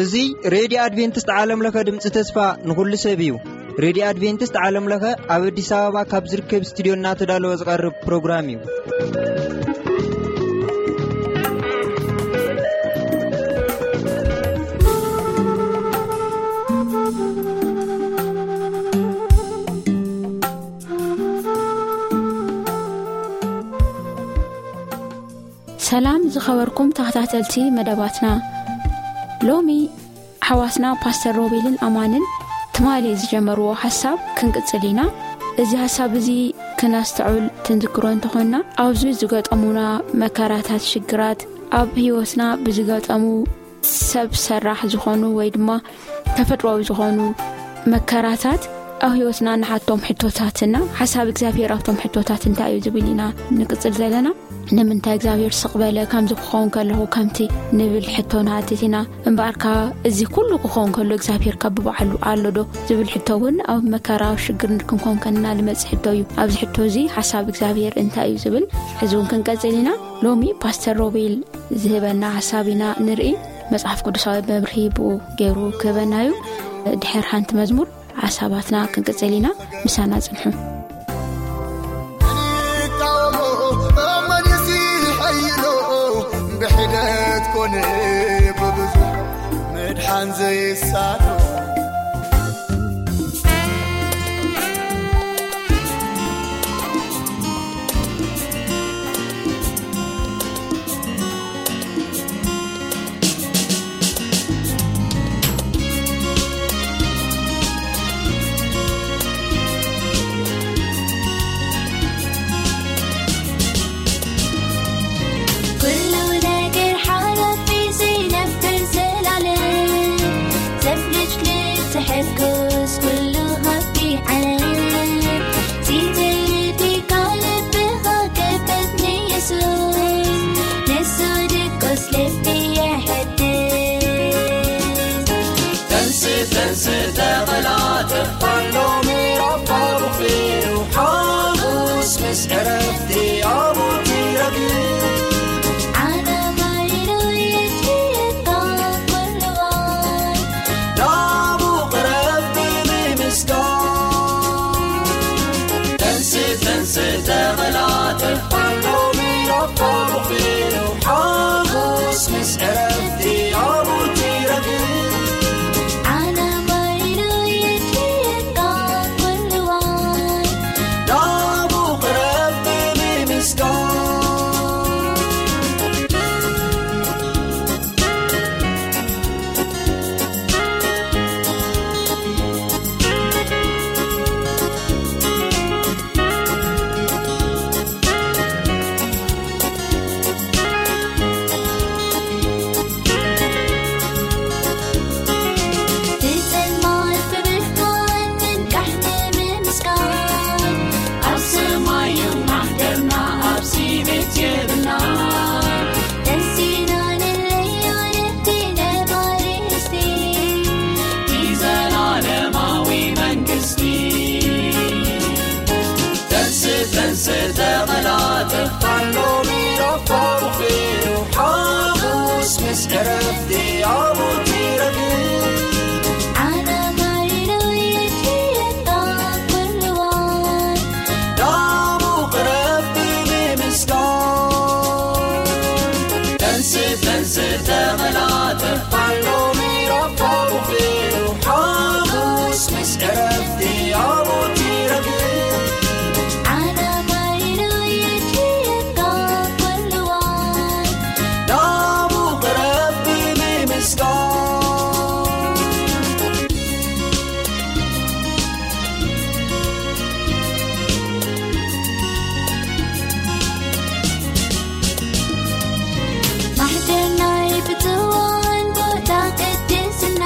እዚ ሬድዮ ኣድቬንቲስት ዓለም ለኸ ድምፂ ተስፋ ንኹሉ ሰብ እዩ። ሬድዮ ኣድቬንቲስት ዓለም ለኸ ኣብ ኣዲስ ኣበባ ካብ ዝርከብ ስቱዲዮ እናተዳለወ ዝቐርብ ፕሮግራም እዩ። ሰላም ዝኸበርኩም ተኸታተልቲ መደባትና፣ ሎሚ ሓዋስና ፓስተር ሮቤልን ኣማንን ትማሊ ዝጀመርዎ ሓሳብ ክንቅጽል ኢና። እዚ ሓሳብ እዚ ክነስተዑል ክንዝክሮ እንተኾንና፣ ኣብዚ ዝገጠሙና መከራታት፣ ሽግራት፣ ኣብ ህይወትና ብዝገጠሙ ሰብ ሰራሕ ዝኾኑ ወይ ድማ ተፈጥሮኣዊ ዝኾኑ መከራታት ኣብ ህይወትና ንሓቶም ሕቶታትና፣ ሓሳብ እግዚኣብሔር ኣብቶም ሕቶታት እንታይ እዩ ዝብል ኢና ንቅጽል ዘለና። ንምንታይ እግዚኣብሔር ስቕ በለ? ከምዚ ክኸውን ከለኹ ከምቲ ንብል ሕቶ ንሓትት ኢና። እምበኣርካ እዚ ኩሉ ክኸውን ከሎ እግዚኣብሔር ካብ ብባዕሉ ኣሎ ዶ ዝብል ሕቶ እውን ኣብ መከራ፣ ኣብ ሽግር ክንኮን ከለና ልመጽእ ሕቶ እዩ። ኣብዚ ሕቶ እዚ ሓሳብ እግዚኣብሔር እንታይ እዩ ዝብል ሕዚ እውን ክንቀጽል ኢና። ሎሚ ፓስተር ሮቤል ዝህበና ሓሳብ ኢና ንርኢ። መጽሓፍ ቅዱሳዊ መብርሂ ብኡ ገይሩ ክህበና እዩ። ድሕር ሓንቲ መዝሙር ሓሳባትና ክንቅጽል ኢና። ምሳና ጽንሑ። ይቃወሞ፣ መን ይስሐይሎ፣ ብሒደት ኮነ ብብዙሕ ምድሓን ዘይሳኖ። ኩሉ ነገር ሓላፊ ዘይነብር ዘላለም፣ ሰብ ልጅ ልትሕግዝ ኩሉ ሃቢ ዓለም። ሲትልቲ ካልብኻ ክበት ንየሱስ፣ ንሱ ድቆስ ልቢ የሐድስ። ተንስ፣ ተንስ፣ ተቐላጠፍ፣ ኣሎ ምዕራፍ ፋሩቕ እዩ። ሓሙስ ምስ ዕረፍቲ ኣብኡ ትረግእ። ዓለም ሃሌሉያ ትሽየጣ ኩሉ እዋን። ናብኡ ቅረብ ብምምስጋን። ተንስ፣ ተንስ፣ ተቐላጠፍ፣ ኣሎ ምዕራፍ ፋሩቕ እዩ። ሓሙስ ምስ ዕረፍቲ ኣብኡ ትረግእ። ዓለም ሃሌሉያ ትሽየጣ ኩሉ እዋን። ናብኡ ቅረብ ብምምስጋን። ብጸልማት ብብርሃን ምንቃሕ ንምምስጋን፣ ኣብ ሰማይ እዩ ማሕደርና፣ ኣብዚ ቤት የብልና። ደስ ኢና ንለዮ ነቲ ነባሪ ርስቲ፣ እቲ ዘላለማዊ መንግስቲ። ተንስ፣ ተንስ፣ ተቐላጠፍ፣ ኣሎ ምዕራፍ ፋሩቕ እዩ። ሓሙስ ምስ ዕረፍቲ ኣብኡ ትረግእ። ዓለም ሃሌሉያ ትሽየጣ ኩሉ እዋን። ናብኡ ቅረብ ብምምስጋን። ተንስ፣ ተንስ፣ ተቐላጠፍ፣ ኣሎ ምዕራፍ ፋሩቕ እዩ። ሓሙስ ምስ ዕረፍቲ ኣብኡ ትረግእ። ዓለም ሃሌሉያ ትሽየጣ ኩሉ እዋን። ናብኡ ቅረብ ብምምስጋን። ማሕደር ናይ ብፅዋን ቦታ ቅድስና፣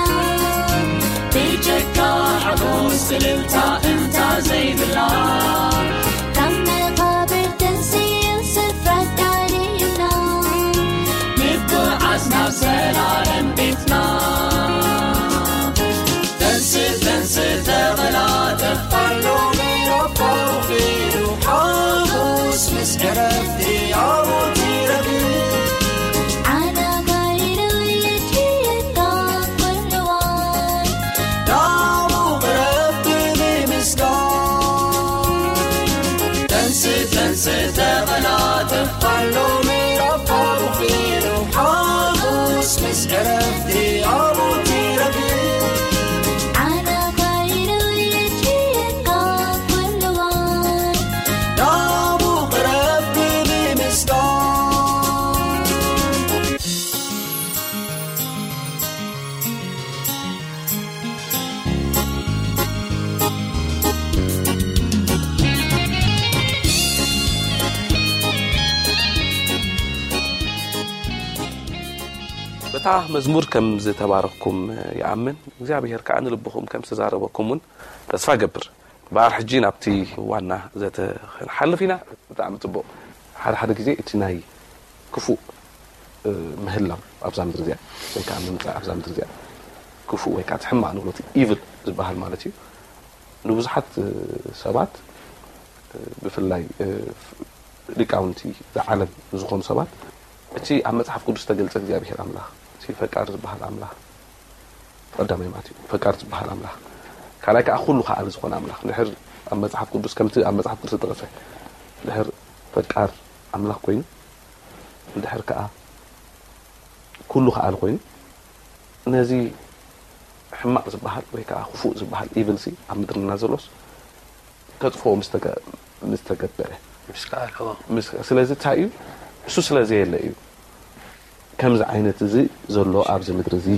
ብጀካ ሓጎስ እልልታ እምታ ዘይብላ፣ ካብ መቓብር ተንስኡ ስፍራ ዳልዩና፣ ንጉዓዝ ናብ ዘላለም ቤትና። ተንስ፣ ተንስ፣ ተቐላጠፍ፣ ኣሎ ምዕራፍ ፋሩቕ እዩ። መዝሙር ከም ዝተባረኽኩም ይኣምን፣ እግዚኣብሔር ከዓ ንልብኹም ከም ዝተዛረበኩም እውን ተስፋ ገብር። እምበኣር ሕጂ ናብቲ ዋና ዘተ ክንሓልፍ ኢና። ብጣዕሚ ጽቡቕ። ሓደ ሓደ ግዜ እቲ ናይ ክፉእ ምህላው ኣብዛ ምድሪ እዚኣ ወይ ከዓ ምምፃእ ኣብዛ ምድሪ እዚኣ ክፉእ ወይ ከዓ እቲ ሕማቕ ንብሎ ኢቭል ዝበሃል ማለት እዩ። ንብዙሓት ሰባት ብፍላይ ሊቃውንቲ ዓለም ዝኾኑ ሰባት እቲ ኣብ መፅሓፍ ቅዱስ ዝተገልፀ እግዚኣብሔር ኣምላኽ እቲ ፈቃር ዝበሃል ኣምላኽ ቀዳማይ ማለት እዩ። ፈቃር ዝበሃል ኣምላኽ ካልኣይ ከዓ ኩሉ ከኣል ዝኾነ ኣምላኽ ድሕር ኣብ መፅሓፍ ቅዱስ ከምቲ ኣብ መፅሓፍ ቅዱስ ዝተጠቐሰ ድሕር ፈቃር ኣምላኽ ኮይኑ ድሕር ከዓ ኩሉ ከኣል ኮይኑ ነዚ ሕማቕ ዝበሃል ወይ ከዓ ክፉእ ዝበሃል ኢቭል ሲ ኣብ ምድርና ዘሎስ ከጥፍኦ ምስ ተገ- ምስ ተገበረ ምስ ከኣለ ምስ- ስለዚ እንታይ እዩ እሱ ስለ ዘየለ እዩ ከምዚ ዓይነት እዚ ዘሎ ኣብዚ ምድሪ እዚ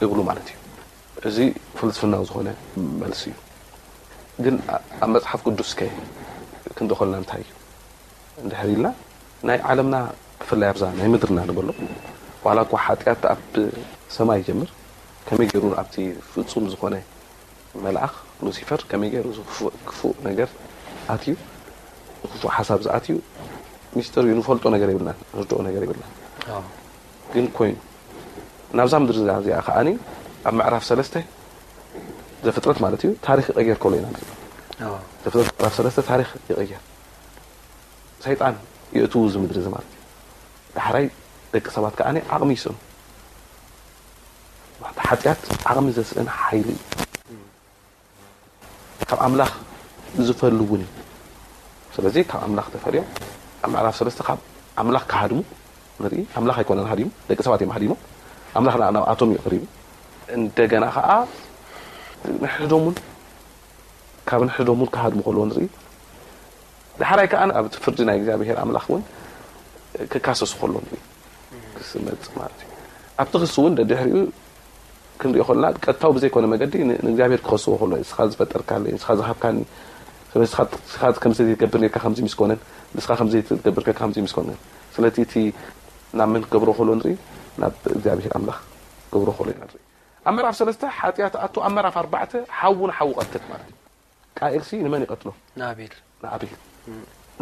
እብሉ ማለት እዩ። እዚ ፍልስፍናዊ ዝኾነ መልሲ እዩ። ግን ኣ- ኣብ መፅሓፍ ቅዱስ ከ ክንደኾልና እንታይ እዩ እንድሕር ኢልና ናይ ዓለምና ብፍላይ ኣብዛ ናይ ምድርና ንበሎ ዋላ እኳ ሓጢኣት ኣብ ሰማይ ይጀምር ከመይ ገይሩ ኣብቲ ፍፁም ዝኾነ መልኣኽ ሉሲፈር ከመይ ገይሩ ክፉእ ነገር ኣትዩ ክፉእ ሓሳብ ዝኣትዩ ሚስጥር እዩ ንፈልጦ ነገር የብልናን ንርድኦ ነገር የብልናን ግን ኮይኑ ናብዛ ምድሪ እዚኣ ከዓኒ ኣብ ምዕራፍ ሰለስተ ዘፍጥረት ማለት እዩ ታሪክ ይቀየር ከሎ ኢና ዘፍጥረት ምዕራፍ ሰለስተ ታሪክ ይቀየር ሰይጣን የእትዉ እዚ ምድሪ እዚ ማለት እዩ ዳሕራይ ደቂ ሰባት ከዓኒ ዓቕሚ ይስእኑ ሓጢኣት ዓቕሚ ዘስእን ሓይሊ እዩ ካብ ኣምላኽ ዝፈሉ እውን እዩ ስለዚ ካብ ኣምላኽ ተፈልዮም ኣብ ምዕራፍ ሰለስተ ካብ ኣምላኽ ክሃድሙ ንርኢ ኣምላኽ ኣይኮነን ሃዲሙ ደቂ ሰባት እዮም ሃዲሞም ኣምላኽ ንኣብኣቶም እዩ ቀሪቡ እንደገና ከዓ ንሕዶም እውን ካብ ንሕዶም እውን ክሃድሙ ከለዎ ንርኢ ዳሕራይ ከዓ ኣብቲ ፍርዲ ናይ እግዚኣብሔር ኣምላኽ እውን ክካሰሱ ከሎ ንርኢ ክስመፅ ማለት እዩ ኣብቲ ክሲ እውን ደድሕሪኡ ክንሪኦ ከለና ቀጥታዊ ብዘይኮነ መገዲ ንእግዚኣብሔር ክኸስዎ ከሎ ንስኻ ዝፈጠርካለይ ንስኻ ዝሃብካኒ ስለዚ ንስኻ ከምዚ ዘይትገብር ነርካ ከምዚ ምስ ኮነን ንስኻ ከምዚ ዘይትገብር ነርካ ከምዚ ምስ ኮነን ስለዚ እቲ ናብ መን ክገብሮ ከሎ ንርኢ ናብ እግዚኣብሔር ኣምላኽ ክገብሮ ከሎ ኢና ንርኢ ኣብ ምዕራፍ ሰለስተ ሓጢኣት ኣቱ ኣብ ምዕራፍ ኣርባዕተ ሓዉ ንሓዉ ቀትል ማለት እዩ ቃኤልሲ ንመን ይቐትሎ ንኣቤል ንኣቤል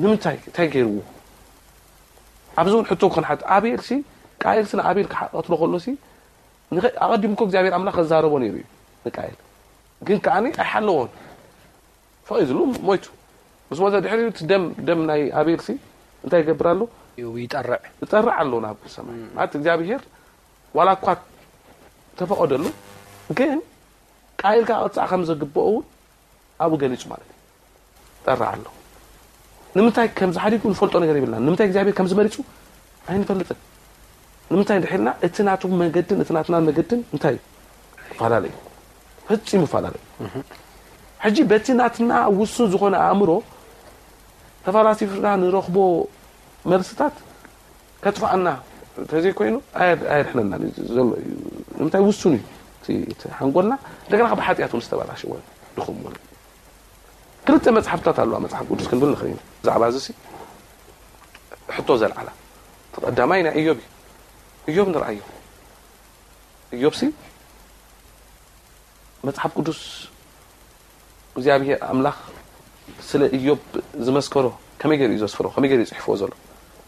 ንምንታይ እንታይ ገይርዎ ኣብዚ እውን ሕቶ ክንሓት ኣቤልሲ ቃኤልሲ ንኣቤል ክቐትሎ ከሎሲ ኣቐዲሙ እኮ እግዚኣብሔር ኣምላኽ ከዛረቦ ነይሩ እዩ ንቃኤል ግን ከዓኒ ኣይሓለዎን ፈቒዝሉ ሞይቱ ምስ ሞተ ድሕሪ እቲ ደም ደም ናይ ኣቤልሲ እንታይ ይገብር ኣሎ ይጠርዕ ይጠርዕ ኣሎ ናብ ሰማይ ማለት እግዚኣብሔር ዋላ እኳ ተፈቐደሉ ግን ቃኤል ከዓ ቅፃዕ ከም ዘግብኦ እውን ኣብኡ ገሊፁ ማለት እዩ ጠርዕ ኣሎ ንምንታይ ከምዚ ሓዲጉ ንፈልጦ ነገር የብልና ንምንታይ እግዚኣብሔር ከምዚ መሪፁ ኣይንፈልጥን ንምንታይ እንድሕልና እቲ ናቱ መገድን እቲ ናትና መገድን እንታይ እዩ ይፈላለዩ ፈፂሙ ይፈላለዩ ሕጂ በቲ ናትና ውሱን ዝኾነ ኣእምሮ ተፈላሲፍና ንረኽቦ መልስታት ከጥፍኣና እንተዘይኮይኑ ኣየድሕነና እዩ ዘሎ እዩ ንምንታይ ውሱን እዩ እቲ ሓንጎልና እንደገና ካብ ሓጢኣት እውን ዝተበላሸወ ድኹም እውን ክልተ መፅሓፍታት ኣለዋ መፅሓፍ ቅዱስ ክንብል ንኽእል ኢና ብዛዕባ እዚ ሕቶ ዘልዓላ እቲ ቀዳማይ ናይ እዮብ እዩ እዮብ ንርኣዮ እዮብ ሲ መፅሓፍ ቅዱስ እግዚኣብሔር ኣምላኽ ስለ እዮብ ዝመስከሮ ከመይ ገይሩ እዩ ዘስፍሮ ከመይ ገይሩ እዩ ፅሕፍዎ ዘሎ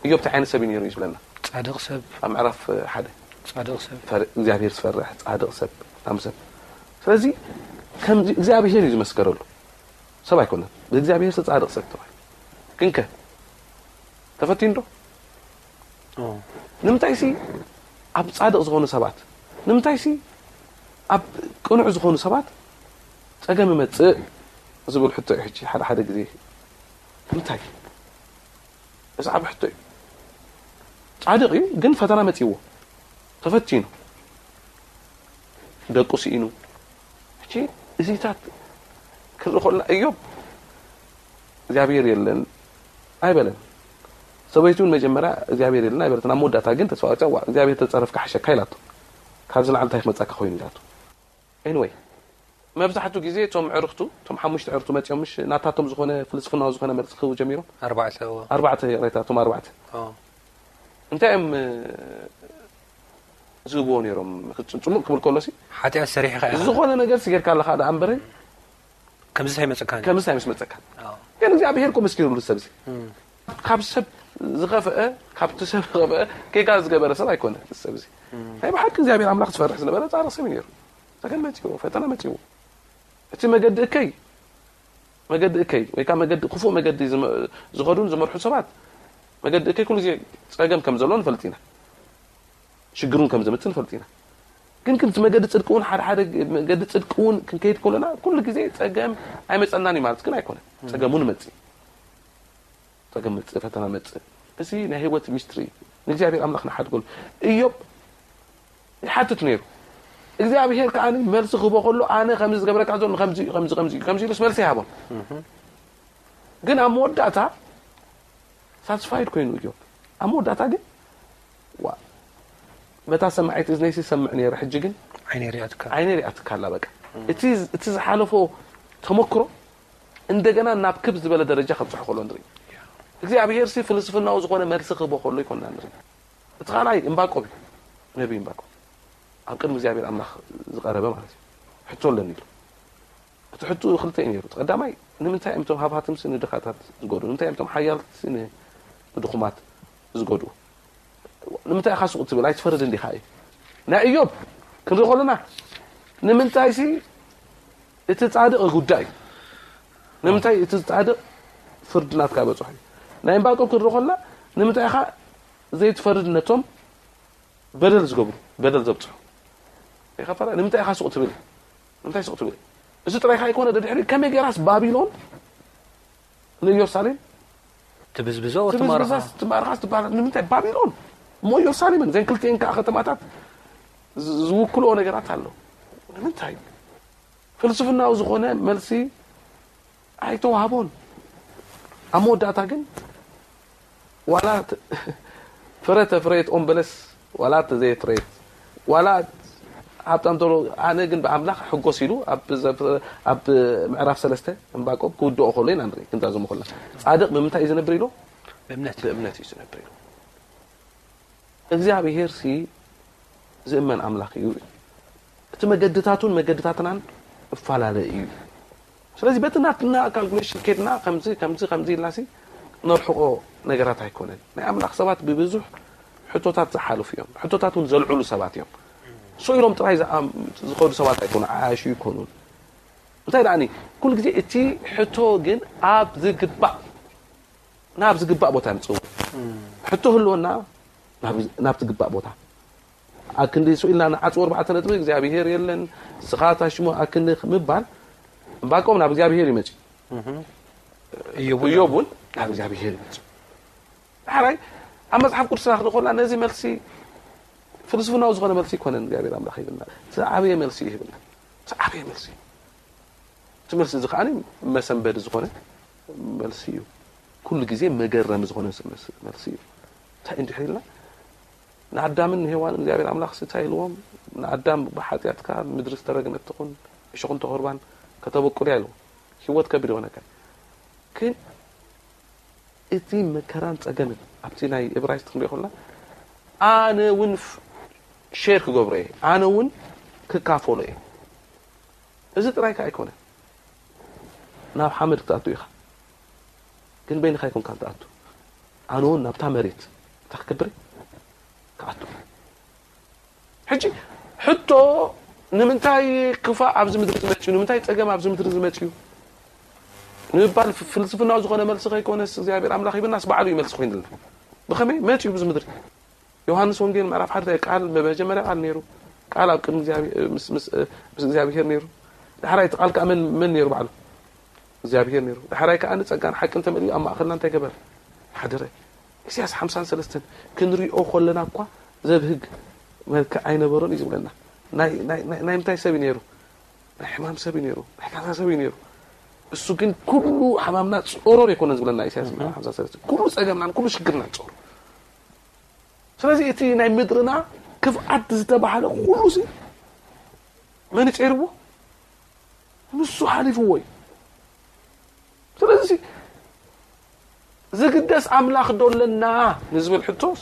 እዮብ እንታይ ዓይነት ሰብ እዩ ነይሩ እዩ ዝብለና ፃድቕ ሰብ ኣብ ምዕራፍ ሓደ ፃድቕ ሰብ እግዚኣብሔር ዝፈርሕ ፃድቕ ሰብ ሃብታም ሰብ ስለዚ ከምዚ እግዚኣብሔር እዩ ዝመስከረሉ ሰብ ኣይኮነን ብእግዚኣብሔር ፃድቕ ሰብ ተባሂሉ ግንከ ተፈቲኑ ዶ ንምንታይ ሲ ኣብ ፃድቕ ዝኾኑ ሰባት ንምንታይ ሲ ኣብ ቅኑዕ ዝኾኑ ሰባት ፀገም ይመፅእ ዝብል ሕቶ እዩ ሕጂ ሓደ ሓደ ግዜ እንታይ እዚ ዓብ ሕቶ እዩ ፃድቕ እዩ ግን ፈተና መፅዎ ተፈቲኑ ደቁ ስኢኑ ሕጂ እዚታት ክርኢ ከሎ እዮብ እግዚኣብሔር የለን ኣይበለን ሰበይቱ እውን መጀመርያ እግዚኣብሔር የለን ኣይበለትን ኣብ መወዳእታ ግን ተስፋ ቆርፃ እግዚኣብሔር ተፀረፍካ ሓሸካ ኢላቶ ካብዚ ንዓሊ እንታይ ክመፃካ ኮይኑ ኢላቶ anyway መብዛሕቱ ግዜ እቶም ዕርክቱ እቶም ሓሙሽተ ዕርክቱ መፂኦም ምሽ ናታቶም ዝኾነ ፍልስፍናዊ ዝኾነ መልሲ ክህቡ ጀሚሮም ኣርባዕተ ኣርባዕተ ይቕሬታ እቶም ኣርባዕተ እንታይ እዮም ዝህብዎ ነይሮም። ጽ- ጽሙቕ ክብል ከሎ ሲ ሓጢኣት ሰሪሕኻ ኢኻ። ዝኾነ ነገር ሲ ጌርካ ኣለኻ ደኣ እምበረ ከምዚ ኣይመፀካን። ከምዚ ኣይምስመፀካን። ኣዎ። ግን እግዚኣብሔር እኮ መስኪሩሉ ሰብ ሲ እም። ካብ ሰብ ዝኸፍአ ካብቲ ሰብ ዝኸፍአ ጌጋ ዝገበረ ሰብ ኣይኮነ። ሰብ ሲ ናይ ብሓቂ እግዚኣብሔር ኣምላኽ ዝፈርሕ ዝነበረ ጻድቕ ሰብ እዩ ነይሩ። ጸገም መጺዎ፣ ፈተና መጺዎ። እቲ መገዲ እከይ መገዲ እከይ ወይ ከዓ መገዲ ክፉእ መገዲ ዝመ- ዝኸዱን ዝመርሑ ሰባት መገዲ እከይ ኩሉ ግዜ ጸገም ከም ዘሎ ንፈልጥ ኢና። ሽግሩን ከም ዝምጽእ ንፈልጥ ኢና። ግን ክንቲ መገዲ ጽድቂ እውን ሓደ ሓደ መገዲ ጽድቂ እውን ክንከይድ ከለና ኩሉ ግዜ ጸገም ኣይመጸናን እዩ ማለት ግን ኣይኮነን። ጸገም እውን መጽእ ጸገም መጽእ ፈተና መጽእ። እዚ ናይ ህይወት ሚስትሪ እዩ። ንእግዚኣብሔር ኣምላኽ ንሓድገሉ። እዮብ ይሓትት ነይሩ። እግዚኣብሔር ከዓ መልሲ ክህቦ ከሎ ኣነ ከምዚ ዝገብረካ ዘሎ ከምዚ እዩ፣ ከምዚ ከምዚ እዩ፣ ከምዚ ኢሉስ መልሲ ይሃቦም። ግን ኣብ መወዳእታ ሳትስፋይድ ኮይኑ እዮብ ኣብ መወዳእታ ግን ዋ በታ ሰማዒት እዝነይ ይሰምዕ ነይረ ሕጂ ግን ዓይነ ሪኣትካ ዓይነ ሪኣትካ ኣላ በቃ እቲ እቲ ዝሓለፎ ተመክሮ እንደገና ናብ ክብ ዝበለ ደረጃ ከብፅሑ ከሎ ንርኢ እግዚኣብሔር ሲ ፍልስፍናዊ ዝኾነ መልሲ ክህቦ ከሎ ይኮንና ንርኢ እቲ ካልኣይ እምባቆም እዩ ነቢ እምባቆም ኣብ ቅድሚ እግዚኣብሔር ኣምላኽ ዝቀረበ ማለት እዩ ሕቶ ኣለኒ ኢሉ እቲ ሕቱ ክልተ እዩ ነይሩ። እቲ ቀዳማይ ንምንታይ እዮም እቶም ሃብሃትምሲ ንድኻታት ዝጎድኡ? ንምንታይ እዮም እቶም ሓያልትሲ ንድኹማት ዝጎድኡ? ንምንታይ ኢኻ ሱቕ ትብል? ኣይትፈርድ እንዲኻ እዩ። ናይ እዮብ ክንርኢ ከለና ንምንታይሲ እቲ ጻድቕ ጉዳይ እዩ። ንምንታይ እቲ ጻድቕ ፍርዲ ናትካ በጽሑ እዩ። ናይ እምባቆም ክንርኢ ከለና ንምንታይ ኢኻ ዘይትፈርድ ነቶም በደል ዝገብሩ በደል ዘብፅሑ ኢኻ ፈራ ንምንታይ ኢኻ ሱቕ ትብል ንምንታይ ሱቕ ትብል እዚ ጥራይ ካይኮነ ደድሕሪ ከመይ ገይራስ ባቢሎን ንኢየሩሳሌም ትብዝብዞ ትብዝብዛስ ትማርኻስ ትባሃል ንምንታይ ባቢሎን እሞ ኢየሩሳሌምን ዘን ክልቲኤን ከዓ ከተማታት ዝ- ዝውክልኦ ነገራት ኣሎ ንምንታይ ፍልስፍናዊ ዝኾነ መልሲ ኣይተዋህቦን ኣብ መወዳእታ ግን ዋላ ት- ፍረ ተፍረየት ኦም በለስ ዋላ ተዘየፍረየት ዋላ ሃብታም ተሎ ኣነ ግን ብኣምላኽ ሕጎስ ኢሉ ኣብ ዘ- ኣብ ምዕራፍ ሰለስተ እምባቆም ክውድኦ ከሎ ኢና ንርኢ ክንዛዘሙ ከለና ጻድቕ ብምንታይ እዩ ዝነብር ኢሉ ብእምነት ብእምነት እዩ ዝነብር ኢሉ እግዚኣብሔር ሲ ዝእመን ኣምላኽ እዩ እቲ መገድታቱን መገድታትናን እፈላለ እዩ ስለዚ በቲ ናትና ካልኩሌሽን ኬድና ከምዚ ከምዚ ከምዚ ኢልና ሲ ነርሕቆ ነገራት ኣይኮነን ናይ ኣምላኽ ሰባት ብብዙሕ ሕቶታት ዝሓልፉ እዮም ሕቶታት እውን ዘልዕሉ ሰባት እዮም ሱ ኢሎም ጥራይ ዝኣም- ዝኸዱ ሰባት ኣይኮኑ ዓያሹ ይኮኑን እንታይ ደኣኒ ኩሉ ግዜ እቲ ሕቶ ግን ኣብ ዝግባእ ናብ ዝግባእ ቦታ የምፅኡ ሕቶ ህልወና ናብ- ናብ ዝግባእ ቦታ ኣክንዲ ስኢልና ንዓፅዎ ኣርባዕተ ነጥቢ እግዚኣብሄር የለን ስኻ ታሽሞ ኣክንዲ ምባል እምባቆም ናብ እግዚኣብሄር ይመፅእ እዮብ እዮብ እውን ናብ እግዚኣብሄር ይመፅእ ዳሕራይ ኣብ መፅሓፍ ቅዱስና ክንርኢ ከለና ነዚ መልሲ ፍልስፍናዊ ዝኾነ መልሲ ይኮነን እግዚኣብሔር ኣምላኽ ይብልና ዝዓበየ መልሲ እዩ ይብልና ዝዓበየ መልሲ እቲ መልሲ እዚ ከዓ መሰንበዲ ዝኾነ መልሲ እዩ ኩሉ ግዜ መገረሚ ዝኾነ መልሲ እዩ እንታይ እንድሕር ኢልና ንኣዳምን ንሄዋን እግዚኣብሔር ኣምላኽ እንታይ ኢልዎም ንኣዳም ብሓጢኣትካ ምድሪ ዝተረግመት ትኹን እሾኽን ተኸርባን ከተበቁልያ ኢልዎም ህይወት ከቢድ ይኾነካ ግን እቲ መከራን ፀገምን ኣብቲ ናይ እብራይስጥ ክንሪኦ ከለና ኣነ እውን ሼር ክገብሮ እየ ኣነ እውን ክካፈሎ እየ እዚ ጥራይ ከዓ ኣይኮነ ናብ ሓመድ ክትኣቱ ኢኻ ግን በይንኻ ኣይኮንካ ትኣቱ ኣነ እውን ናብታ መሬት እንታይ ክገብር ክኣቱ ሕጂ ሕቶ ንምንታይ ክፋእ ኣብዚ ምድሪ ዝመፅዩ ንምንታይ ፀገም ኣብዚ ምድሪ ዝመፅዩ ንምባል ፍልስፍናዊ ዝኾነ መልሲ ከይኮነስ እግዚኣብሔር ኣምላኽ ይብናስ ባዕሉ እዩ መልሲ ኮይኑልና ብኸመይ መፅዩ ብዚ ምድሪ ዮሃንስ ወንጌል ምዕራፍ ሓደ ቃል መጀመርያ ቃል ነይሩ ቃል ኣብ ቅድሚ እግዚኣብሔር ነይሩ ዳሕራይ እቲ ቃል ከዓ መን ነይሩ ባዕሉ እግዚኣብሔር ነይሩ ዳሕራይ ከዓ ንፀጋን ሓቅን ተመልዩ ኣብ ማእኸልና እንታይ ገበር ሓደረ ኢሳያስ ሓምሳን ሰለስተን ክንሪኦ ከለና እኳ ዘብህግ መልክዕ ኣይነበሮን እዩ ዝብለና ናይ ምንታይ ሰብ እዩ ነይሩ ናይ ሕማም ሰብ እዩ ነይሩ ናይ ካሳ ሰብ እዩ ነይሩ እሱ ግን ኩሉ ሕማምና ፆሮር የኮነን ዝብለና ኢሳያስ ሓምሳ ሰለስተ ኩሉ ፀገምናን ኩሉ ሽግርናን ፆሩ ስለዚ እቲ ናይ ምድርና ክፍኣት ዝተባሃለ ኩሉ ሲ መን ይፀይርዎ ንሱ ሓሊፍዎ እዩ ስለዚ ዝግደስ ኣምላኽ ዶ ኣለና ንዝብል ሕቶስ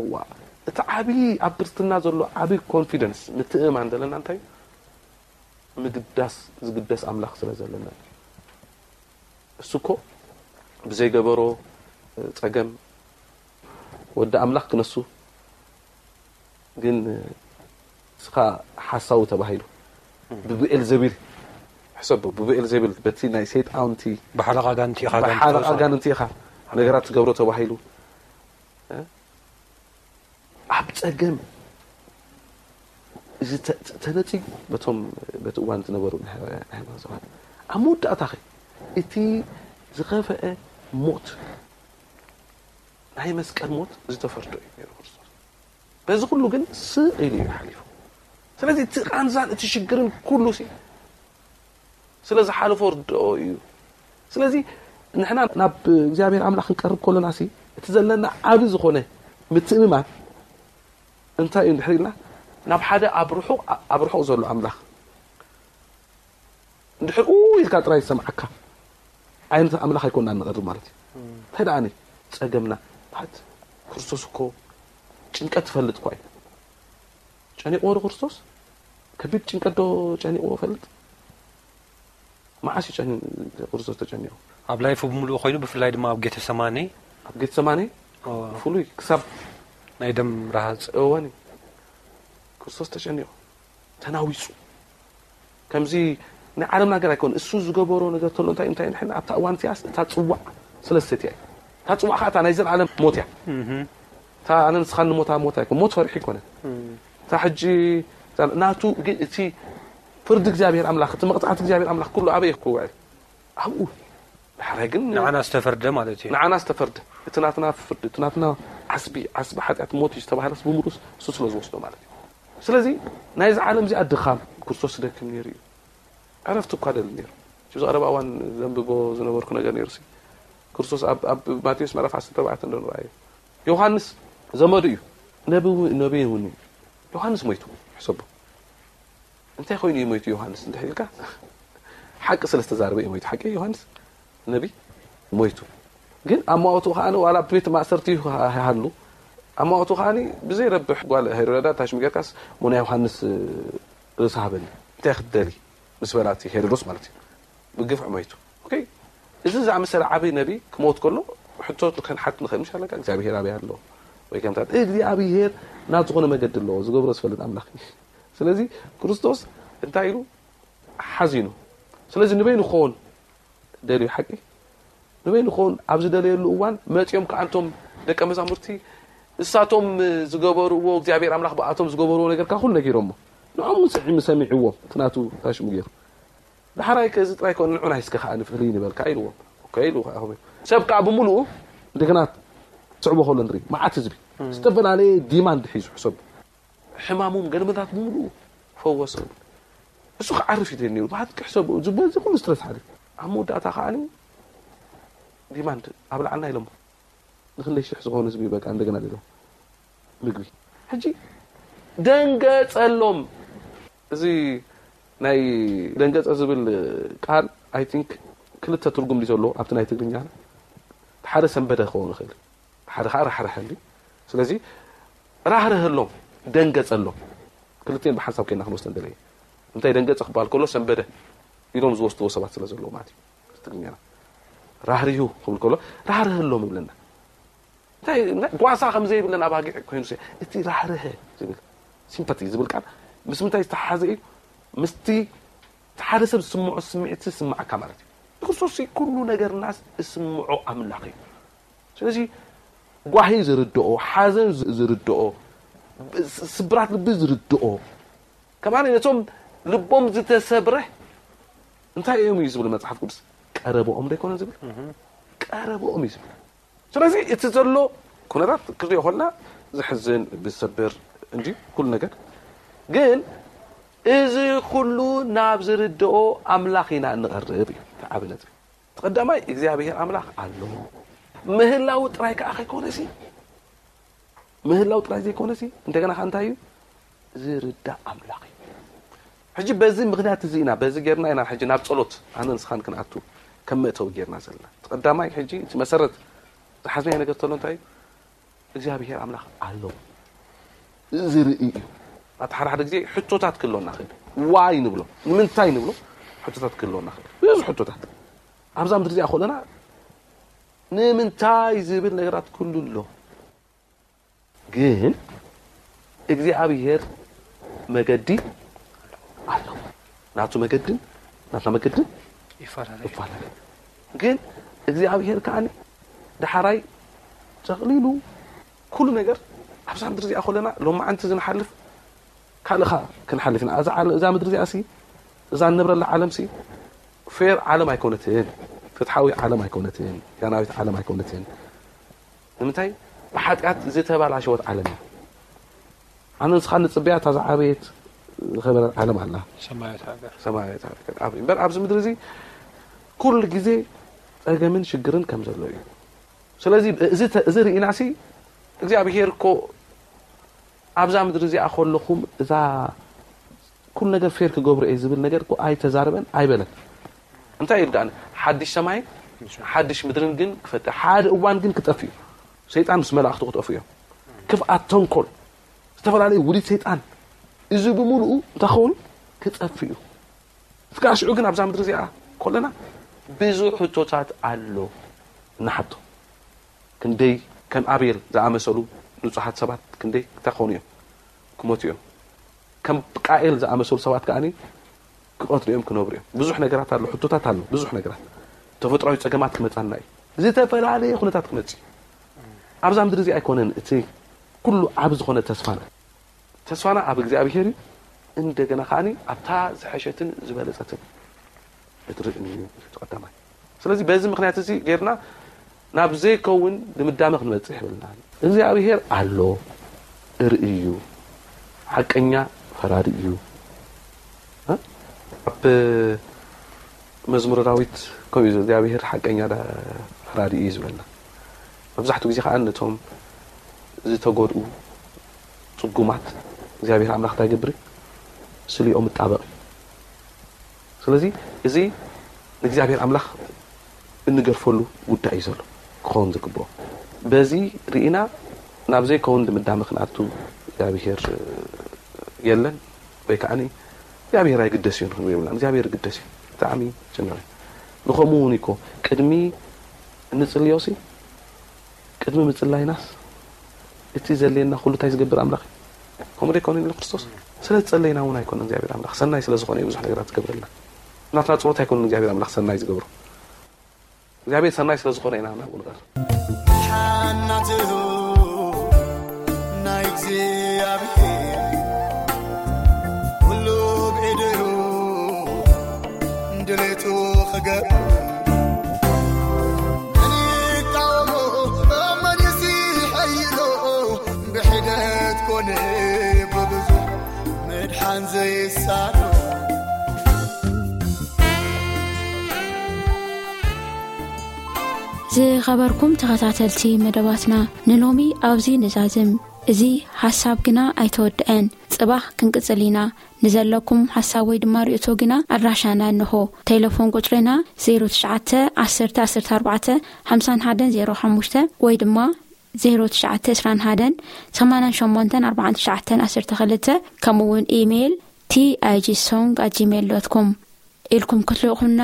እዋ እቲ ዓብዪ ኣብ ክርስትና ዘሎ ዓብዪ ኮንፊደንስ፣ ምትእምማን ዘለና እንታይ እዩ? ምግዳስ ዝግደስ ኣምላኽ ስለ ዘለና እዩ። እሱ እኮ ብዘይገበሮ ጸገም ወዲ ኣምላኽ ክነሱ፣ ግን እስኻ ሓሳዊ ተባሂሉ ብብኤል ዘቢል፣ ሕሰቡ፣ ብብኤል ዘቢል፣ በቲ ናይ ሰይጣውንቲ ብሓለቓ ኣጋንንቲ ኢኻ ብሓለቓ ኣጋንንቲ ኢኻ ነገራት ትገብሮ ተባሂሉ። ኣብ ጸገም እዚ ተነጺጉ በቶም በቲ እዋን ዝነበሩ ናይ ሃይማኖት ሰባት፣ ኣብ መወዳእታ ኸ እቲ ዝኸፍአ ሞት፣ ናይ መስቀል ሞት ዝተፈርዶ እዩ ነይሩ ክርስቶስ። በዚ ኩሉ ግን ስቕ ኢሉ እዩ ሓሊፉ። ስለዚ እቲ ቃንዛን እቲ ሽግርን ኩሉ ሲ ስለ ዝሓለፎ ርድኦ እዩ። ስለዚ ንሕና ናብ እግዚኣብሔር ኣምላኽ ክንቀርብ ከለና ሲ እቲ ዘለና ዓቢ ዝኾነ ምትእምማን እንታይ እዩ እንድሕር ኢልና፣ ናብ ሓደ ኣብ ርሑቕ ኣብ ርሑቕ ዘሎ ኣምላኽ እንድሕር ኡ ኢልካ ጥራይ ዝሰምዓካ ዓይነት ኣምላኽ ኣይኮንና ንቐርብ ማለት እዩ። እንታይ ደኣ ጸገምና? ባት ክርስቶስ እኮ ጭንቀት ትፈልጥ እኳ እዩ። ጨኒቕዎ ዶ ክርስቶስ? ከቢድ ጭንቀት ዶ ጨኒቕዎ ፈልጥ? መዓስ እዩ ጨኒ-፣ ክርስቶስ ተጨኒቑ? ኣብ ላይፉ ብምሉኡ ኮይኑ፣ ብፍላይ ድማ ኣብ ጌተሰማኔ። ኣብ ጌተሰማኔ ኦ፣ ፍሉይ ክሳብ ናይ ደም ረሃጽ። እወኒ፣ ክርስቶስ ተጨኒቑ፣ ተናዊጹ። ከምዚ ናይ ዓለም ነገር ኣይኮን። እሱ ዝገበሮ ነገር ተሎ እንታይ፣ እንታይ ንሕና ኣብታ እዋን እቲኣስ እታ ጽዋዕ ስለ ዝሰትያ እዩ። እታ ጽዋዕ ከዓ እታ ናይ ዘለዓለም ሞት እያ። እታ ኣነ ንስኻን ንሞታ ሞት ኣይኮን። ሞት ፈሪሑ ኣይኮነን። እታ ሕጂ እዛ ናቱ ግን እቲ ፍርዲ እግዚኣብሔር ኣምላኽ፣ እቲ መቕጻዕቲ እግዚኣብሔር ኣምላኽ ኩሉ ኣበይ ክውዕል? ኣብኡ። ድሕራይ ግን ንዓና ዝተፈርደ ማለት እዩ። ንዓና ዝተፈርደ። እቲ ናትና ፍርዲ፣ እቲ ናትና ዓስቢ፣ ዓስቢ ሓጢኣት ሞት እዩ ዝተባህለስ ብምሉስ እሱ ስለ ዝወስዶ ማለት እዩ። ስለዚ ናይዚ ዓለም እዚኣ ድኻም ክርስቶስ ዝደክም ነይሩ እዩ። ዕረፍቲ እኳ ደሊ ነይሩ። እዚ ቀረባ እዋን ዘንብቦ ዝነበርኩ ነገር ነይሩ ሲ። ክርስቶስ ኣብ፣ ኣብ ማቴዎስ ምዕራፍ ዓሰርተ ኣርባዕተ እንዶ ንረኣዮ። ዮሃንስ ዘመዱ እዩ። ነቢ፣ ነቢ እውን እዩ። ዮሃንስ ሞይቱ፣ ሕሰቡ። እንታይ ኮይኑ እዩ ሞይቱ ዮሃንስ እንድሕር ኢልካ፣ ሓቂ ስለ ዝተዛረበ እዩ ሞይቱ። ሓቂ ዮሃንስ ነቢ ሞይቱ። ግን ኣማውትኡ ከኣ ዋላ ኣብ ቤት ማእሰርቲ እዩ ሃሉ፣ ኣማውትኡ ከኣ ብዘይረብሕ ጓል ሄሮዳ ታሽሚ ጌርካስ ሞና ዮሃንስ ርእሲ ሃበኒ። እንታይ ክትደሊ ምስ በላ እቲ ሄሮዶስ ማለት እዩ። ብግፍዒ ሞይቱ። ኦኬ፣ እዚ ዝኣመሰለ ዓብዪ ነቢ ክሞት ከሎ ሕቶ ክንሓት ንኽእል ምሽ ኣለካ፣ እግዚኣብሄር ኣበይ ኣሎ? ወይ ከምታት እግዚኣብሄር ናብ ዝኾነ መገዲ ኣለዎ፣ ዝገብሮ ዝፈልጥ ኣምላኽ እዩ። ስለዚ ክርስቶስ እንታይ ኢሉ ሓዚኑ። ስለዚ ንበይኑ ክኸውን ደልዩ ሓቂ ንበይኑ ክኸውን ኣብ ዝደለየሉ እዋን መጺኦም ከኣ እንቶም ደቀ መዛሙርቲ እሳቶም ዝገበርዎ እግዚኣብሔር ኣምላኽ ብኣቶም ዝገበርዎ ነገር ከኣ ኩሉ ነጊሮሞ። ንዖም እውን ስዒሙ ሰሚዕዎም እቲ ናቱ ታሽሙ ገይሩ። ዳሕራይ ከዚ ጥራይ ኮነ ንዑ ናይ እስከ ከኣ ንፍልይ ንበል ከኣ ኢልዎም። ኦኬ ኢሉ ከኣ ኾይኑ። ሰብ ከኣ ብምሉኡ እንደገና ትስዕቦ ከሎ ንርኢ። መዓት ህዝቢ ዝተፈላለየ ዲማንድ ሒዙ ሕሰቡ። ሕማሞም ገለመታት ብምሉኡ ፈወሶም። እሱ ክዓርፍ እዩ ነይሩ። ብሓቂ ሕሰቡ። እዚ በዚ ኩሉ ስትረስ ሓሊፉ። ኣብ መወዳእታ ከኣ ዲማንድ ኣብልዓልና ኢሎሞ። ንክንደይ ሽሕ ዝኾኑ ህዝቢ በቃ እንደገና ደሎ ምግቢ። ሕጂ ደንገጸሎም። እዚ ናይ ደንገጸ ዝብል ቃል ኣይ ቲንክ ክልተ ትርጉም ድዩ ዘለዎ ኣብቲ ናይ ትግርኛ? ሓደ ሰንበደ ክኸውን ይኽእል፣ ሓደ ከዓ ራሕርሐ እንዲ። ስለዚ ራህርሀሎም፣ ደንገጸሎም። ክልቲኤን ብሓንሳብ ኮይና ክንወስደን ደለየ። እንታይ ደንገጸ ክበሃል ከሎ ሰንበደ ኢሎም ዝወስድዎ ሰባት ስለ ዘለዉ ማለት እዩ። ትግርኛና ራህርሁ ክብል ከሎ ራህርሀሎም ይብለና። እንታይ ጓሳ ከም ዘይብለን ኣባጊዕ ኮይኑ እቲ ራህርሀ ዝብል ሲምፓቲ ዝብል ቃል ምስ ምንታይ ዝተሓሓዘ እዩ? ምስቲ እቲ ሓደ ሰብ ዝስምዖ ስምዒት ዝስምዓካ ማለት እዩ። ንክርስቶስ ኩሉ ነገርናስ ዝስምዖ ኣምላኽ እዩ። ስለዚ ጓሂ ዝርድኦ፣ ሓዘን ዝርድኦ፣ ስብራት ልቢ ዝርድኦ፣ ከማን ነቶም ልቦም ዝተሰብረ እንታይ እዮም እዩ ዝብል መጽሓፍ ቅዱስ? ቀረብኦም ዶ ይኮነ ዝብል? ቀረብኦም እዩ ዝብል። ስለዚ እቲ ዘሎ ኩነታት ክሪኦ ከለና ዝሕዝን ዝሰብር እንጂ ኩሉ ነገር ግን እዚ ኩሉ ናብ ዝርድኦ ኣምላኽ ኢና እንቐርብ እዩ እቲ ዓቢ ነጥቢ። እቲ ቀዳማይ እግዚኣብሔር ኣምላኽ ኣሎ። ምህላው ጥራይ ከዓ ከይኮነሲ ምህላው ጥራይ ዘይኮነሲ እንደገና ከ እንታይ እዩ? ዝርዳእ ኣምላኽ እዩ። ሕጂ በዚ ምኽንያት እዚ ኢና፣ በዚ ጌርና ኢና ሕጂ ናብ ጸሎት ኣነ ንስኻን ክንኣቱ ከም መእተዊ ጌርና ዘለና። እቲ ቀዳማይ ሕጂ እቲ መሰረት ዝሓዝናዮ ነገር ተሎ እንታይ እዩ? እግዚኣብሔር ኣምላኽ ኣሎ። ዝርኢ እዩ። ኣቲ ሓደ ሓደ ግዜ ሕቶታት ክህልወና ክእል፣ ዋይ ንብሎ፣ ንምንታይ ንብሎ፣ ሕቶታት ክህልወና ክእል፣ ብዙ ሕቶታት። ኣብዛ ምድሪ እዚኣ ከለና ንምንታይ ዝብል ነገራት ኩሉ ኣሎ። ግን እግዚኣብሔር መገዲ ኣሎ። ናቱ መገድን ናትና መገድን ይፈላለ። ግን እግዚኣብሔር ከዓኒ ደሓራይ ጠቕሊሉ ኩሉ ነገር ኣብዛ ምድሪ እዚኣ ከለና ሎማዓንቲ ዝንሓልፍ ካልእኻ ክንሓልፍ ኢና። እዛ ዓለ-፣ እዛ ምድሪ እዚኣ ሲ፣ እዛ እንነብረላ ዓለም ሲ ፌር ዓለም ኣይኮነትን፣ ፍትሓዊ ዓለም ኣይኮነትን፣ ያናዊት ዓለም ኣይኮነትን። ንምንታይ? ብሓጢኣት ዝተባላሸወት ዓለም እያ። ኣነ ንስኻ ንጽበያ እታ ዝዓበየት ዝኸበረት ዓለም ኣላ። ሰማያዊት ሃገር። ሰማያዊት ሃገር። ኣብ-፣ እምበር ኣብዚ ምድሪ እዚ ኩሉ ግዜ ጸገምን ሽግርን ከም ዘሎ እዩ። ስለዚ እዚ ተ-፣ እዚ ርኢናሲ እግዚኣብሄር እኮ ኣብዛ ምድሪ እዚኣ ከለኹም እዛ ኩሉ ነገር ፌር ክገብሮ እየ ዝብል ነገር እኮ ኣይተዛረበን ኣይበለን። እንታይ ኢሉ ደኣ? ሓድሽ ሰማይን ሓድሽ ምድርን ግን ክፈጥር፣ ሓደ እዋን ግን ክጠፍእ እዩ። ሰይጣን ምስ መላእኽቱ ክጠፍኡ እዮም። ክፍኣት፣ ተንኮል፣ ዝተፈላለዩ ውዲት ሰይጣን፣ እዚ ብምሉኡ እንታይ ክኸውን? ክጠፍእ እዩ። እስከ ሽዑ ግን ኣብዛ ምድሪ እዚኣ ከለና ብዙሕ ሕቶታት ኣሎ እንሓቶ። ክንደይ ከም ኣቤል ዝኣመሰሉ ንጹሃት ሰባት ክንደይ ክኾኑ እዮም? ክሞቱ እዮም። ከም ቃኤል ዝኣመሰሉ ሰባት ከኣ ክቐትሉ እዮም፣ ክነብሩ እዮም። ብዙሕ ነገራት ኣሎ፣ ሕቶታት ኣሎ፣ ብዙሕ ነገራት። ተፈጥሮኣዊ ጸገማት ክመጻና እዩ። ዝተፈላለየ ኩነታት ክመጽእ እዩ። ኣብዛ ምድሪ እዚ ኣይኮነን እቲ ኩሉ ዓቢ ዝኾነ ተስፋና። ተስፋና ኣብ እግዚኣብሄር እዩ። እንደገና ከኣ ኣብታ ዝሐሸትን ዝበለጸትን እትርእን እዩ እቲ ቀዳማይ። ስለዚ በዚ ምኽንያት እዚ ጌርና ናብ ዘይከውን ድምዳመ ክንበጽሕ የብልና። እግዚኣብሄር ኣሎ፣ ርኢ እዩ፣ ሓቀኛ ፈራዲ እዩ። እ? ኣብ መዝሙረ ዳዊት ከምኡ እዩ፣ እግዚኣብሄር ሓቀኛ ዳ-፣ ፈራዲ እዩ ዝበልና። መብዛሕትኡ ግዜ ከኣ ነቶም ዝተጎድኡ ጽጉማት እግዚኣብሄር ኣምላኽ እንታይ ይገብር? ስሊኦም ይጣበቕ እዩ። ስለዚ እዚ ንእግዚኣብሔር ኣምላኽ እንገርፈሉ ጉዳይ እዩ ዘሎ ክኸውን ዝግብኦ። በዚ ርኢና ናብ ዘይከውን ድምዳመ ክንኣቱ እግዚኣብሔር የለን ወይ ከዓኒ እግዚኣብሔር ኣይግደስ እዩ ንክንብል የብልና። እግዚኣብሔር ይግደስ እዩ። ብጣዕሚ ጭንቕ እዩ። ንኸምኡ እውን እኮ ቅድሚ እንጽልዮሲ ቅድሚ ምጽላይናስ እቲ ዘድልየና ኩሉ እንታይ ዝገብር ኣምላኽ እዩ? ከምኡ ዶ ኣይኮነን ኢሉ ክርስቶስ? ስለ ዝጸለይና እውን ኣይኮነን እግዚኣብሔር ኣምላኽ፣ ሰናይ ስለ ዝኾነ እዩ ብዙሕ ነገራት ዝገብረልና። ናትና ጸሎት ኣይኮነን እግዚኣብሔር ኣምላኽ ሰናይ ዝገብሮ። እግዚኣብሔር ሰናይ ስለ ዝኾነ ኢና ናብኡ ንቐርብ። ሓናትኡ ናይ እግዚኣብሔር ኩሉ ብኢዱ ድሌቱ ክገብር። መን ይቃወሞ? መን ይስሐይሎ? ብሒደት ኮነ ብብዙሕ ምድሓን ዘይሳኖ። ዝኸበርኩም ተኸታተልቲ መደባትና፣ ንሎሚ ኣብዚ ንዛዝም። እዚ ሓሳብ ግና ኣይተወድአን። ጽባሕ ክንቅጽል ኢና። ንዘለኩም ሓሳብ ወይ ድማ ርእይቶ ግና ኣድራሻና እንሆ። ቴሌፎን ቁጽርና ዜሮ ትሽዓተ ዓሰርተ ዓሰርተ ኣርባዕተ ሓምሳን ሓደን ዜሮ ሓሙሽተ ወይ ድማ ዜሮ ትሽዓተ ዕስራን ሓደን ሰማንያን ሸሞንተን ኣርባዓን ትሽዓተን ዓሰርተ ክልተ፣ ከምኡ እውን ኢሜይል ቲ ኣይ ጂ ሶንግ ኣት ጂሜይል ዶት ኮም። ኢልኩም ክትልእኹና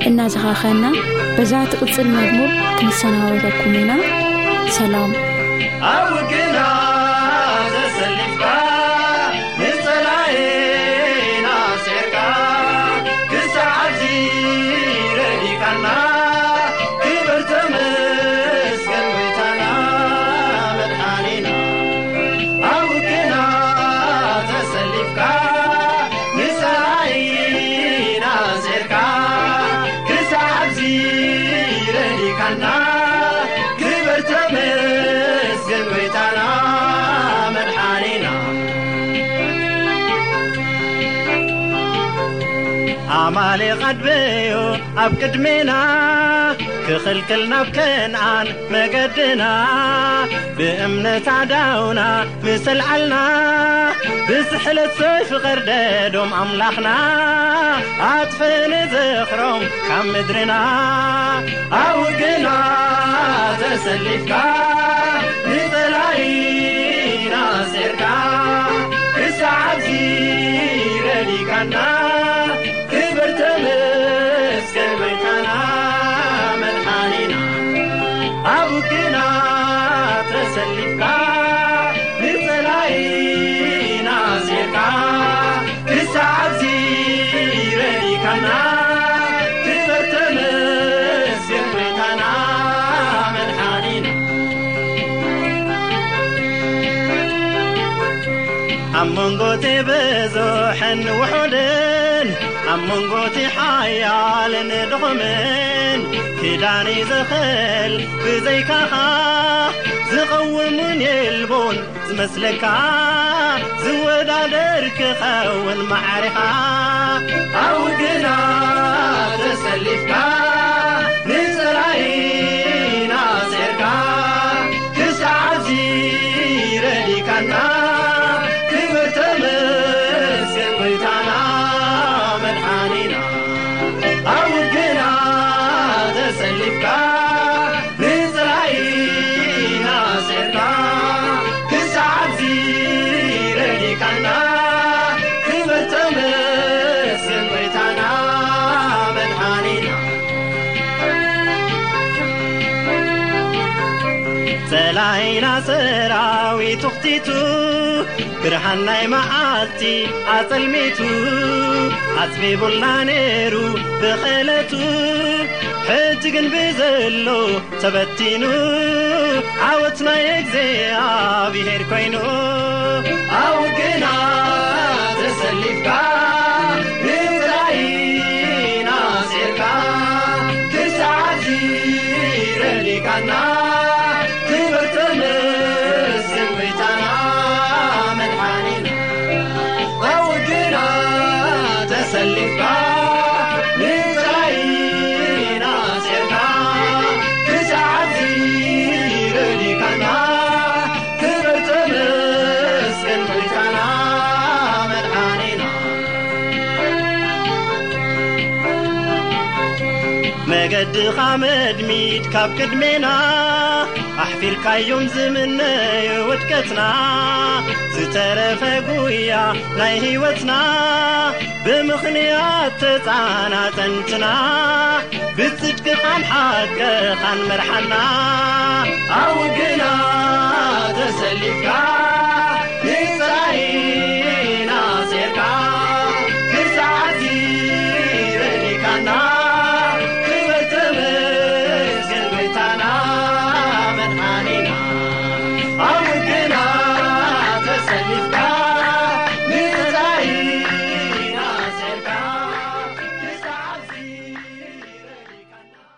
እናዘኻኸና፣ በዛ ትቕጽል መዝሙር ክንሰናበተኩም ኢና። ሰላም። ኣብ ውግና ተሰሊፍካ፣ ንጸላኤና ኣስዒርካ፣ ክሳዕ ኣብዚ ረዲእካና፣ ክብር ተመስገን ጎይታና መድሓኒና። ኣብ ውግና ተሰሊፍካ፣ ንጸላኢና ኣስዒርካ፣ ክሳዕ ኣብዚ ረዲእካና፣ ክብር ተመስገን ጎይታና መድሓኒና። ኣማሌቕ ኣድበዮ ኣብ ቅድሜና፣ ክኽልክል ናብ ከነኣን መገድና፣ ብእምነት ኣዳውና ምስ ኣልዓልና፣ ብስሕለት ሰይፊ ቀርደዶም ኣምላኽና፣ ኣጥፍእ ንዝኽሮም ካብ ምድርና። ኣብ ውግና ተሰሊፍካ፣ ንጸላኢና ኣስዒርካ፣ ውግና ተሰሊፍካ ንጸላኢና ኣስዒርካ ክሳዕ ኣብዚ ረዲካና ክበር ተመስገን ጎይታና መድሓኒና። ኣብ መንጎ እቲ ብዙሕን ውሑድን ኣብ መንጎ እቲ ሓያልን ድኹምን ክዳን ይዘኸል ብዘይካኻ ዝቐውምን የልቦን ዝመስለካ ዝወዳደር ክኸውን ማዕሪኻ ኣብ ውግና ተሰሊፍካ ንጸላኢና ኣስዒርካ ክሳዕ ኣብዚ ረዲካና ክብር ተመስገን ጎይታና መድሓኒና። ኣብ ውግና ተሰሊፍካ ንጽላኢና ኣስዒርካ ክሳዕ ኣብዚ ረዲካና ክብር ተመስገን ጎይታና መድሓኒና። ጸላኢና ሰራዊት ውኽቲቱ ብርሃን ናይ መዓልቲ ኣጸልሚቱ ኣጽቢቡልና ነይሩ ብኽእለቱ ሕጂ ግን ብዘሎ ተበቲኑ ዓወት ናይ እግዚኣብሔር ኮይኑ ኣብ ውግና ተሰሊፍካ ንጸላኢና ኣስዒርካ ክሳዕ እዚ ረዲካና ክብር ተመስገን ጎይታና መድሓኒና። ኣብ ውግና ተሰሊፍካ ንጸላኢና ኣስዒርካ ክሳዕ እዚ ረዲካና ክብር ተመስገን ጎይታና መድሓኒና። መገድኻ መድሚድ ካብ ቅድሜና ኣሕፊርካዮም ዝምነዩ ውድቀትና ዝተረፈ ጉያ ናይ ህይወትና ብምኽንያት ተጻናጸንትና ብጽድቅኻን ሓቅኻን መርሓና ኣብ ውግና